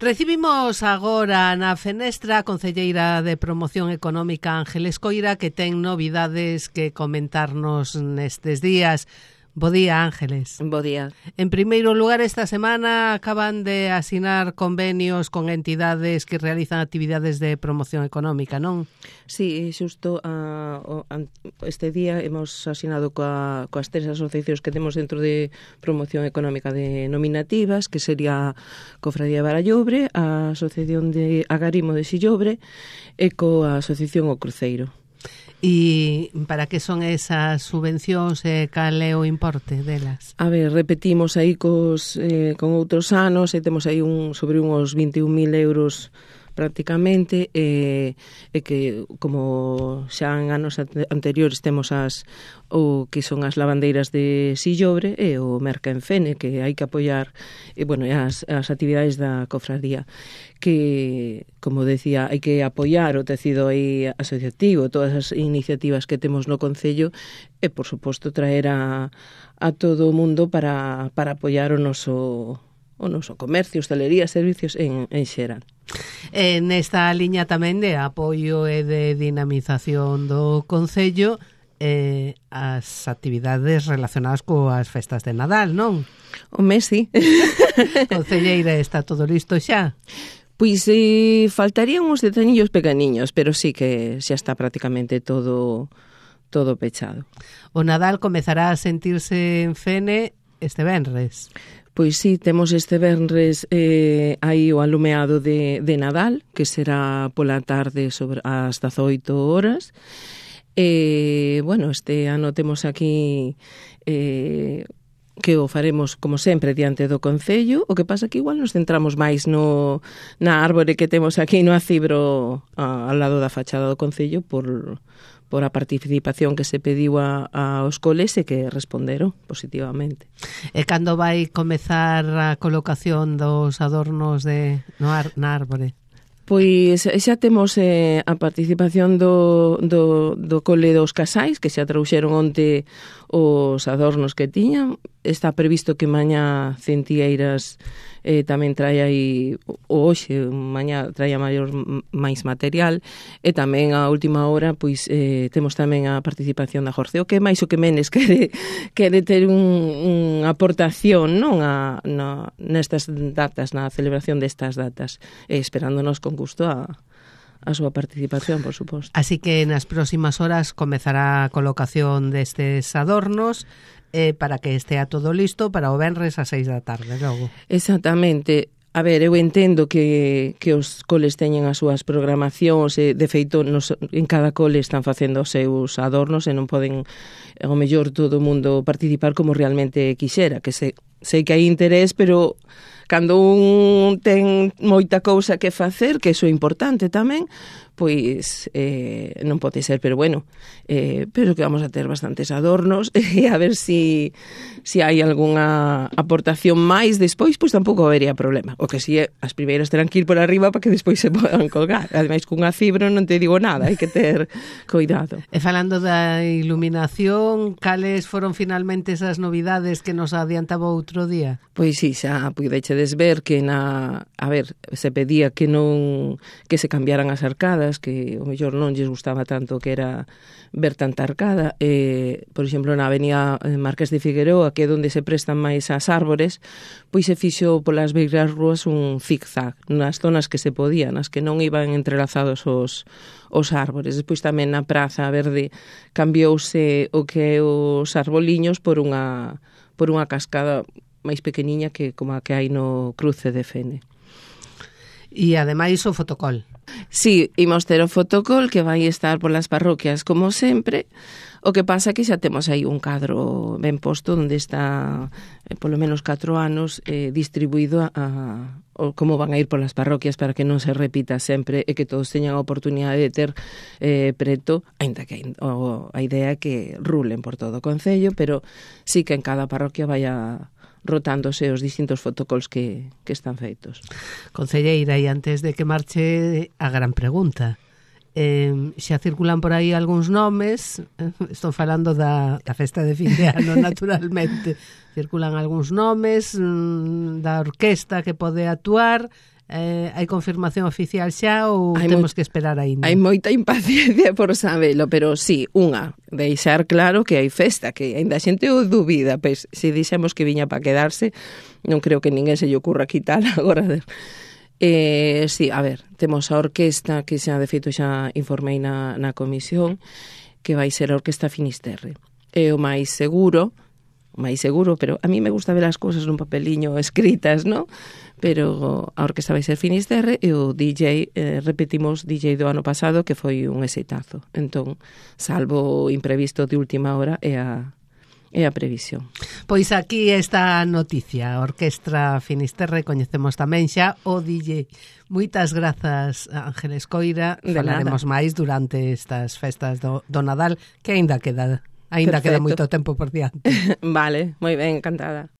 Recibimos agora na fenestra a concelleira de Promoción Económica Ángeles Coira, que ten novidades que comentarnos nestes días. Bo día, Ángeles. Bo día. En primeiro lugar, esta semana acaban de asinar convenios con entidades que realizan actividades de promoción económica, non? Sí, xusto este día hemos asinado coas tres asociacións que temos dentro de promoción económica de nominativas, que sería Cofradía de Barallobre, a Asociación de Agarimo de Sillobre e coa Asociación O Cruceiro. E para que son esas subvencións e cal é o importe delas? A ver, repetimos aí con outros anos e temos aí sobre uns 21.000 euros prácticamente, e que como xa en anos anteriores temos o que son as lavandeiras de Sillobre e o Merca en Fene, que hai que apoiar as actividades da cofradía, que, como decía, hai que apoiar o tecido aí asociativo, todas as iniciativas que temos no Concello e, por suposto, traer a todo o mundo para apoiar o noso comercio, hostelería, servicios en xeral. Nesta liña tamén de apoio e de dinamización do Concello, as actividades relacionadas coas festas de Nadal, non? Home, sí. Concelleira, está todo listo xa? Pois faltarían uns detalliños pequeniños, pero sí que xa está prácticamente todo pechado. O Nadal comezará a sentirse en Fene este venres. Pois sí, temos este venres aí o alumeado de Nadal, que será pola tarde sobre as 18 horas. Bueno, este ano temos aquí que o faremos, como sempre, diante do Concello. O que pasa que igual nos centramos máis na árbore que temos aquí no acibro ao lado da fachada do Concello por a participación que se pediu aos coles e que responderon positivamente. E cando vai comezar a colocación dos adornos na árbore? Pois xa temos a participación do cole dos Casais, que xa trouxeron onte os adornos que tiñan. Está previsto que mañá Centieiras tamén traia aí, hoxe, mañá traia máis material, e tamén a última hora pois temos tamén a participación da Jorceo, que máis o que menos quere ter unha aportación, non, nestas datas, na celebración destas datas, esperándonos con gusto a súa participación, por suposto. Así que nas próximas horas comezará a colocación destes adornos para que estea todo listo para o venres a 6 da tarde, logo. Exactamente. A ver, eu entendo que os coles teñen as súas programacións, de feito, en cada cole están facendo os seus adornos e non poden, ao mellor, todo o mundo participar como realmente quixera, que sei que hai interés, pero cando un ten moita cousa que facer, que iso é importante tamén, pois non pode ser, pero bueno, pero que vamos a ter bastantes adornos e a ver si hai algunha aportación máis despois, pois tampouco habería problema. O que si é, as primeiras terán que ir por arriba para que despois se podan colgar. Ademais, cunha fibra non te digo nada, hai que ter cuidado. E falando da iluminación, cales foron finalmente esas novidades que nos adiantaba outro día? Pois sí, xa puidechedes ver que se pedía que se cambiaran as arcadas, que o mellor non lles gustaba tanto que era ver tanta arcada. Por exemplo, na avenida Marqués de Figueroa, que é onde se prestan máis as árbores, pois se fixo polas beiras rúas un zig-zag nas zonas que se podían, nas que non iban entrelazados os árbores. Despois tamén na Praza Verde cambiouse o que é os arboliños por unha cascada máis pequeniña que como a que hai no cruce de Fene. E ademais o fotocol. Sí, imos ter o fotocol que vai estar polas parroquias como sempre. O que pasa que xa temos aí un cadro ben posto onde está polo menos 4 anos distribuído como van a ir polas parroquias para que non se repita sempre e que todos teñan a oportunidade de ter preto, aínda que a idea é que rulen por todo o Concello, pero sí que en cada parroquia vaya rotándose os distintos fotocols que están feitos. Concelleira, e antes de que marche a gran pregunta, xa circulan por aí algúns nomes, estou falando da festa de fin de ano, naturalmente, circulan algúns nomes da orquesta que pode actuar, hai confirmación oficial xa ou temos que esperar aínda? Hai moita impaciencia por sabelo, pero sí, deixar claro que hai festa, que ainda a xente o dubida, pois se dixemos que viña para quedarse, non creo que ninguén se lle ocurra quitar agora. Sí, a ver, temos a orquesta que xa de feito xa informei na comisión, que vai ser a Orquesta Finisterre. É o máis seguro, pero a mí me gusta ver as cousas nun papeliño escritas, ¿no? Pero a orquesta vai ser Finisterre e o DJ, repetimos DJ do ano pasado, que foi un exitazo. Entón, salvo o imprevisto de última hora, é a previsión. Pois aquí está a noticia, a Orquestra Finisterre, coñecemos tamén xa o DJ. Moitas grazas, Ángeles Coira, falaremos máis durante estas festas do Nadal, que aínda queda moito tempo por diante. Vale, moi ben, encantada.